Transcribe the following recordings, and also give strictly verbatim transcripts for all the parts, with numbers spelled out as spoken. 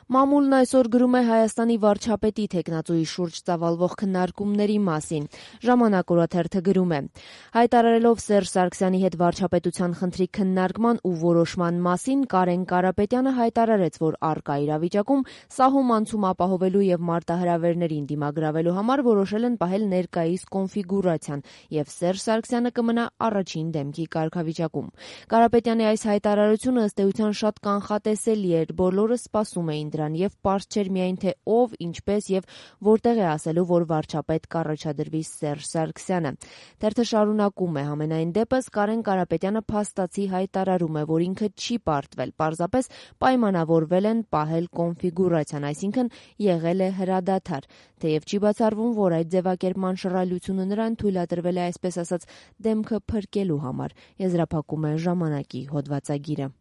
Մամուլն այսօր գրում է Հայաստանի վարչապետի թեկնածուի շուրջ ծավալվող քննարկումների մասին։ Ժամանակ օրաթերթը գրում է. հայտարարելով Սերժ Սարգսյանի հետ վարչապետության խնդրի քննարկման ու որոշման մասին, Կարեն Կարապետյանը հայտարարեց, որ առկա իրավիճակում սահում անցում ապահովելու եւ մարտահրավերներին դիմագրավելու համար որոշել են պահել ներկայիս կոնֆիգուրացիան եւ Սերժ Սարգսյանը կմնա առաջին դեմքի կարգավիճակում։ Կարապետյանի այս հայտարարությունը ըստ էության շատ կանխատեսելի էր, բոլորը սպասում էին դրան եւ պարզ չէր միայն թե ով, ինչպես եւ որտեղ է ասելու, որ վարչապետ կառաջադրվի Սերժ Սարգսյանը։ Թերթը շարունակում է. համենայն դեպս Կարեն Կարապետյանը փաստացի հայտարարում է, որ ինքը չի պարտվել, պարզապես պայմանավորվել են պահել կոնֆիգուրացիան, այսինքն եղել է հրադադար, թեև չի բացառվում, որ այդ ձևակերպման շռայլությունը նրան թույլատրվել է, այսպես ասած, դեմքը փրկելու համար, եզրափակում է ժամանակի հոդվածագիրը։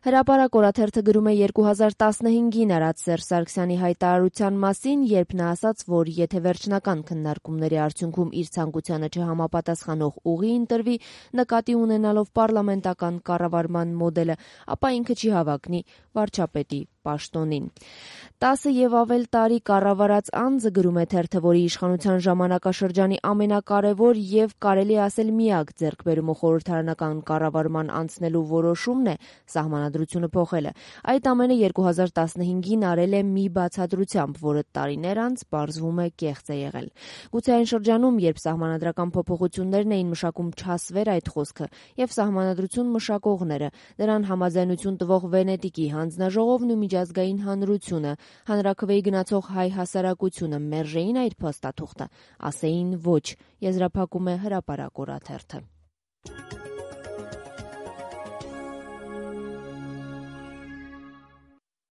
Հրապարակ օրաթերթը գրում է երկու հազար տասնհինգին արած Սերժ Սարգսյանի հայտարարության մասին, երբ նա ասաց, որ եթե վերջնական քննարկումների արդյունքում իր ցանկությանը չհամապատասխանող ուղի ընտրվի, նկատի ունենալով պարլամենտական կառավարման մոդելը, ապա ինքը չի հավակնի վարչապետի պաշտոնին։ Տասը եւ ավել տարի կառավարած անձը, գրում է թերթը, որի իշխանության ժամանակաշրջանի ամենակարևոր եւ կարելի ասել միակ ձեռքբերումը խորհրդարանական կառավարման անցնելու որոշումն է սահմանադրությունը փոխելը։ Այդ ամենը երկու հազար տասնհինգին արել է մի բացատրությամբ, որը տարիներ անց պարզվում է կեղծ է եղել։ Գուցե այն շրջանում, երբ սահմանադրական փոփոխություններն էին մշակում չասվեր այդ խոսքը եւ սահմանադրություն մշակողները, դրան համաձայնություն տվող Վենետիկի հանձնաժողովն ու միջազգային հանրությունը, հանրաքվեի գնացող հայ հասարակությունը մերժեին այդ փաստաթուղթը, ասեին ոչ, եզրափակում է Հրապարակ օրաթերթը։